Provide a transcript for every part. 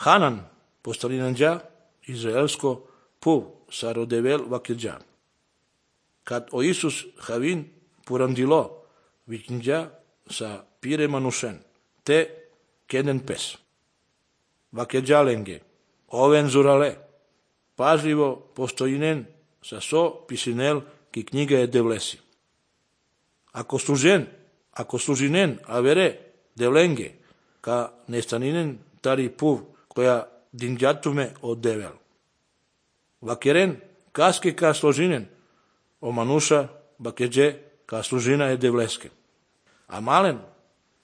Hanan, postalinandja, izraelsko puv, sa rodevel vakirja. Kad o Isus havin purandilo, vikindja sa pire manusen, te kenen pes. Vakirja lenge, oven zurale, pažljivo postojinen sa so pisinel ki knjiga je devlesi. Ako služinen avere devlenge, ka nestaninen tari puv koja dinđatume od devel. Vakeren kaske ka složinen, o manuša bakeđe ka služina je devleske. A malen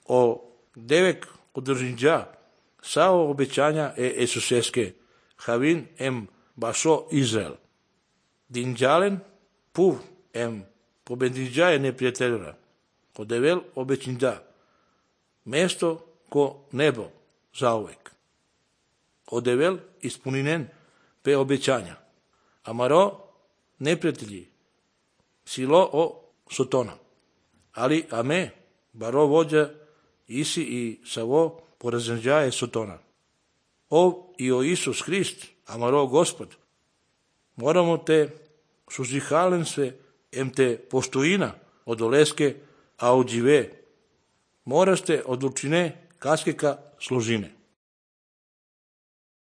o devek održinđa sao obećanja Esuseske havin em bašo Izrael. Dinđalen puv em pobedinđa je neprijateljura. Ko devel obećinđa. Mesto ko nebo zauvek. O devel ispuninen pe obećanja. Amaro neprijatelji silo o sotona. Ali ame baro vođa isi i savo porazenđa je sotona. I o Isus Hrist, amaro Gospod, moramo te suzihalen sve em te poštojina od oleske, a od žive. Moraste odlučine kaskeka služine.